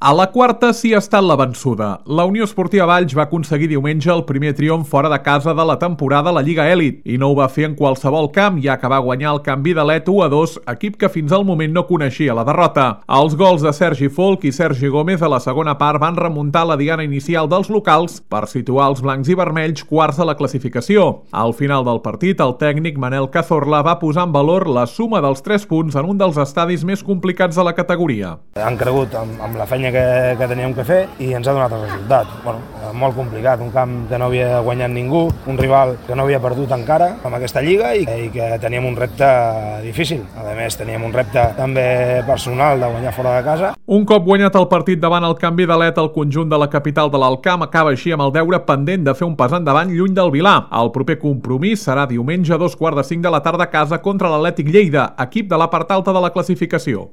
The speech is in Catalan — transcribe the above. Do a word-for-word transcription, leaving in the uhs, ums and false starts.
A la quarta sí ha estat la vençuda. La Unió Esportiva Valls va aconseguir diumenge el primer triomf fora de casa de la temporada a la Lliga Elit i no ho va fer en qualsevol camp, ja que va guanyar el Can Vidalet u a dos, equip que fins al moment no coneixia la derrota. Els gols de Sergi Folk i Sergi Gómez a la segona part van remuntar la diana inicial dels locals per situar els blancs i vermells quarts a la classificació. Al final del partit, el tècnic Manel Cazorla va posar en valor la suma dels tres punts en un dels estadis més complicats de la categoria. Han cregut amb, amb la feina que, que teníem que fer i ens ha donat el resultat. Bueno, molt complicat, un camp que no havia guanyat ningú, un rival que no havia perdut encara amb aquesta lliga i, i que teníem un repte difícil. A més, teníem un repte també personal de guanyar fora de casa. Un cop guanyat el partit davant el Can Vidalet, el conjunt de la capital de l'Alcamp acaba així amb el deure pendent de fer un pas endavant lluny del Vilar. El proper compromís serà diumenge a dos quarts de cinc de la tarda a casa contra l'Atlètic Lleida, equip de la part alta de la classificació.